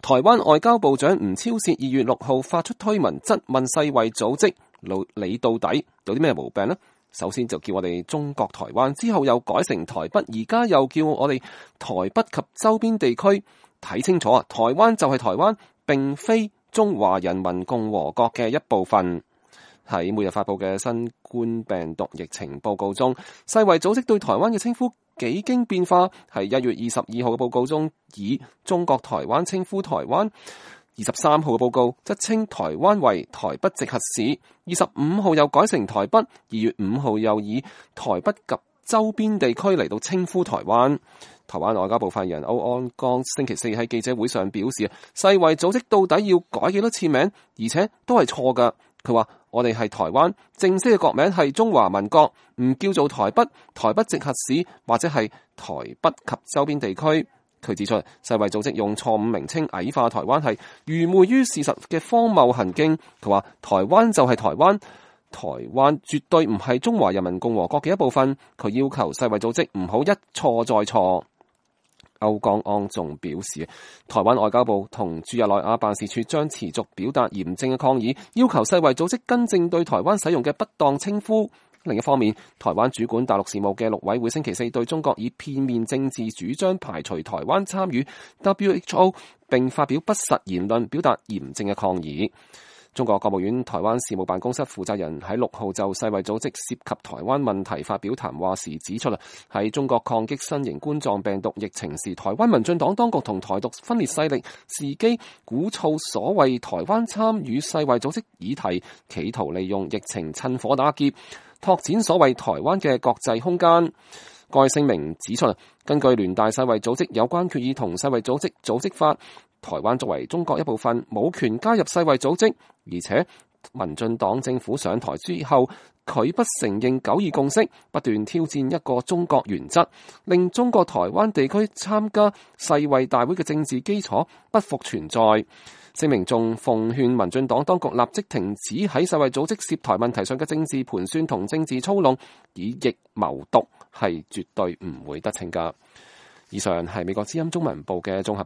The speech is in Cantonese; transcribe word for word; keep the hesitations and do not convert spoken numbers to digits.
台灣外交部長吳釗燮二月六號發出推文質問世衛組織，你到底有啲咩毛病呢？首先就叫我哋中國台灣，之後又改成台北，而家又叫我哋台北及周邊地區。睇清楚啊！台灣就係台灣，並非中華人民共和國嘅一部分。喺每日發佈嘅新冠病毒疫情報告中，世衛組織對台灣嘅稱呼幾經變化。係一月二十二號嘅報告中，以中國台灣稱呼台灣；二十三號嘅報告則稱台灣為台北直轄市；二十五號又改成台北；二月五號又以台北及周邊地區嚟到稱呼台灣。台灣外交部發言人歐安剛星期四喺記者會上表示，世衛組織到底要改幾多次名，而且都係錯㗎。佢話：我哋係台灣，正式嘅國名係中華民國，唔叫做台北、台北直轄市或者係台北及周邊地區。佢指出，世衛組織用錯誤名稱矮化台灣係愚昧於事實嘅荒謬行徑。佢話：台灣就係台灣。台灣絕對唔係中華人民共和國嘅一部分。佢要求世衛組織唔好一錯再錯。歐江安仲表示，台灣外交部同駐日內瓦辦事處將持續表達嚴正嘅抗議，要求世衛組織更正對台灣使用嘅不當稱呼。另一方面，台灣主管大陸事務嘅陸委會星期四對中國以片面政治主張排除台灣參與 W H O 並發表不實言論，表達嚴正嘅抗議。中國國務院台灣事務辦公室負責人喺六號就世衛組織涉及台灣問題發表談話時指出啦，喺中國抗擊新型冠狀病毒疫情時，台灣民進黨當局同台獨分裂勢力伺機鼓噪所謂台灣參與世衛組織議題，企圖利用疫情趁火打劫，拓展所謂台灣嘅國際空間。該聲明指出，根據聯大世衛組織有關決議同世衛組織組織法，台灣作為中國一部分，冇權加入世衛組織。而且民進黨政府上台之後，佢不承認九二共識，不斷挑戰一個中國原則，令中國台灣地區參加世衛大會嘅政治基礎不復存在。聲明仲奉勸民進黨當局立即停止喺世衛組織涉台問題上嘅政治盤算同政治操弄，以疫謀獨係絕對唔會得逞㗎。以上係美國之音中文部嘅綜合報道。